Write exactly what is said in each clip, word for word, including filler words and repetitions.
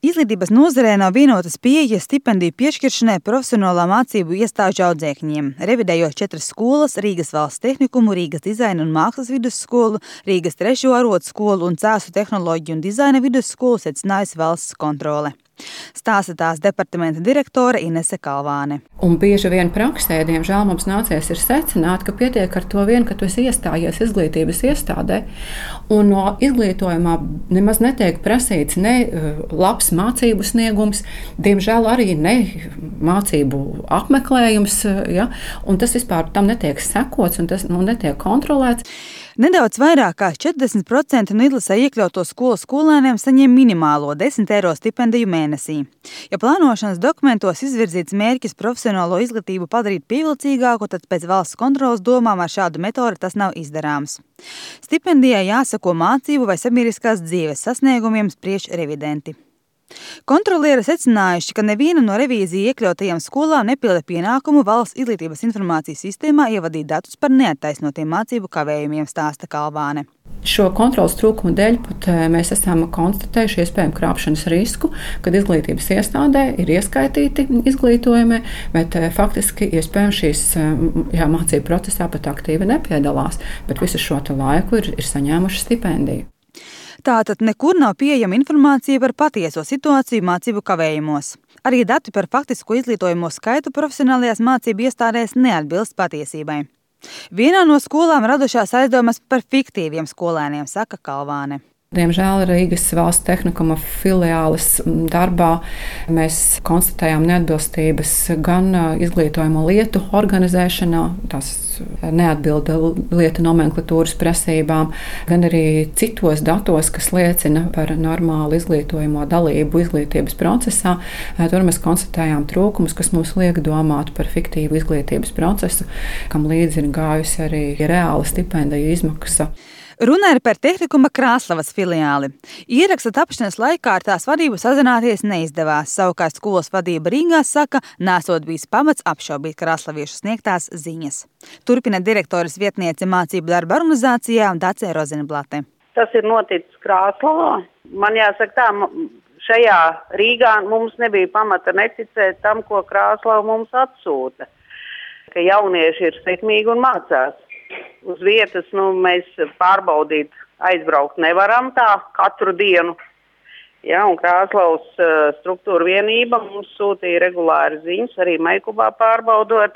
Izglītības nozarē nav vienotas pieejas stipendiju piešķiršanai profesionālā mācību iestāžu audzēkņiem. Revidējot četras skolas – Rīgas valsts tehnikumu, Rīgas dizaina un mākslas vidusskolu, Rīgas trešo arotskolu un Cēsu tehnoloģiju un dizaina vidusskolu secinājusi valsts kontrole. Stāsta tās departamenta direktore Inese Kalvāne. Un bieži vien praksē, diemžēl, mums nācies ir secināt, ka pietiek ar to vien, ka tu esi iestājies izglītības iestādē, un no izglītojumā nemaz netiek prasīts ne labs mācību sniegums, diemžēl arī ne mācību apmeklējums, ja? Un tas vispār tam netiek sekots un tas nu, netiek kontrolēts. Nedaudz vairāk kā četrdesmit procenti no izlasē iekļauto skolu skolēniem saņem minimālo desmit eiro stipendiju mēnesī. Ja plānošanas dokumentos izvirzīts mērķis profesionālo izglītību padarīt pievilcīgāku, tad pēc valsts kontroles domām ar šādu metodi tas nav izdarāms. Stipendijai jāsako mācību vai sabiedriskās dzīves sasniegumiem, spriež revidenti. Kontrolieri secinājuši, ka neviena no revīzija iekļautajām skolām nepilda pienākumu valsts izglītības informācijas sistēmā ievadīt datus par neattaisnotiem mācību kavējumiem, stāsta Kalvāne. Šo kontrolas trūkumu dēļ pat mēs esam konstatējuši iespējamu krāpšanas risku, kad izglītības iestādē ir ieskaitīti izglītojumi, bet faktiski iespējams šīs jā, mācību procesā pat aktīvi nepiedalās, bet visu šo laiku ir, ir saņēmuši stipendiju. Tātad nekur nav pieejama informācija par patieso situāciju mācību kavējumos. Arī dati par faktisko izglītojumu skaitu profesionālajās mācību iestādēs neatbilst patiesībai. Vienā no skolām radušās aizdomas par fiktīviem skolēniem, saka Kalvāne. Diemžēl Rīgas valsts tehnikuma filiāles darbā mēs konstatējām neatbilstības gan izglītojamo lietu organizēšanā, tās neatbilda lietu nomenklatūras prasībām, gan arī citos datos, kas liecina par normālu izglītojamo dalību izglītības procesā. Tur mēs konstatējām trūkumus, kas mums liek domāt par fiktīvu izglītības procesu, kam līdzi ir gājusi arī reāla stipendiju izmaksa. Runa ir par Tehnikuma Krāslavas filiāli. Ieraksta tapšanas laikā ar tās vadību sazināties neizdevās. Savukārt skolas vadība Rīgā saka, nesot bijis pamats apšaubīt krāslaviešu sniegtās ziņas. Turpina direktoras vietniece mācību darba organizācijā Dace Rozenblate. Tas ir noticis Krāslavā. Man jāsaka tā, šajā Rīgā mums nebija pamata neticēt tam, ko Krāslava mums atsūta. Ka jaunieši ir sekmīgi un mācās. Uz vietas nu, mēs pārbaudīt, aizbraukt nevaram tā katru dienu. Ja, un Krāslavas uh, struktūra vienība mums sūtīja regulāri ziņas, arī Maikubā pārbaudot.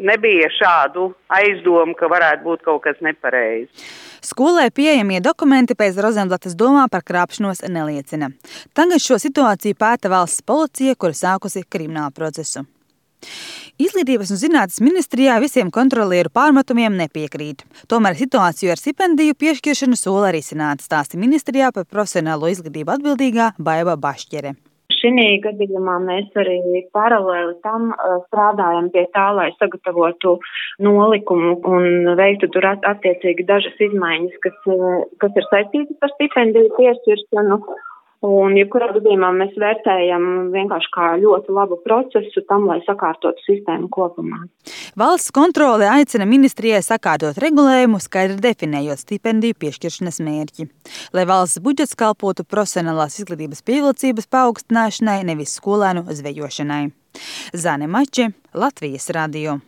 Nebija šādu aizdomu, ka varētu būt kaut kas nepareizi. Skolai pieejamie dokumenti pēc Rozenblates domā par krāpšanos neliecina. Tagad šo situāciju pēta valsts policija, kura sākusi kriminālu procesu. Izglītības un zinātnes ministrijā visiem kontrolieru pārmetumiem nepiekrīt. Tomēr situāciju ar stipendiju piešķiršanu sola risināt, stāsta ministrijā par profesionālo izglītību atbildīgā Baiva Bašķere. Šī gadījumā mēs arī paralēli tam strādājam pie tā, lai sagatavotu nolikumu un veiktu tur attiecīgi dažas izmaiņas, kas, kas ir saistītas ar stipendiju piešķiršanu. Un, jebkurā gadījumā mēs vērtējam vienkārši kā ļoti labu procesu tam, lai sakārtotu sistēmu kopumā. Valsts kontrole aicina ministrijai sakārtot regulējumu, skaidri definējot stipendiju piešķiršanas mērķi, lai valsts budžets kalpotu profesionālās izglītības pievilcības paaugstināšanai, nevis skolēnu zvejošanai. Zane Mače, Latvijas radio.